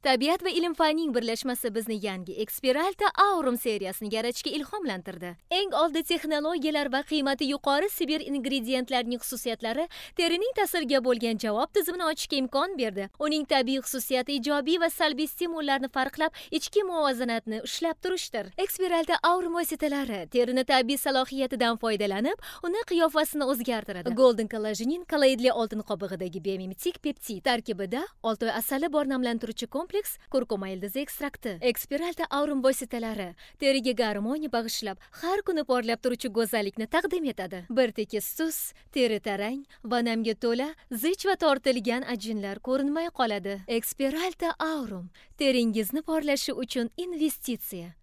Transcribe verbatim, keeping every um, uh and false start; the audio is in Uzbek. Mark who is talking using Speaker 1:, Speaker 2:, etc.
Speaker 1: Tabiat va ilm-fanning birlashmasi bizni yangi Experalta Aurum seriyasini yaratishga ilhomlantirdi. Eng oldi texnologiyalar va qiymati yuqori Sibir ingredientlarining xususiyatlari terining ta'sirga bo'lgan javob tizimini ochishga imkon berdi. Uning tabiiy xususiyati ijobiy va salbiy stimullarni farqlab, ichki muvozanatni ushlab turishdir. Experalta Aurum vositalari terini tabiiy salohiyatidan foydalanib, uni qiyofasini o'zgartiradi. Golden kollagenin kolloidli oltin qobig'idagi biomimetik peptid tarkibida oltoy asali bor namlantiruvchi kompleks kurkuma ildizi ekstrakti. Experalta Aurum vositalari teriga garmoniya bag'ishlab, har kuni porlab turuvchi go'zallikni taqdim etadi. Bir tekis tus, teri tarang va namga to'la, zich va tortilgan ajinlar ko'rinmay qoladi. Experalta Aurum teringizni porlashi uchun investitsiya.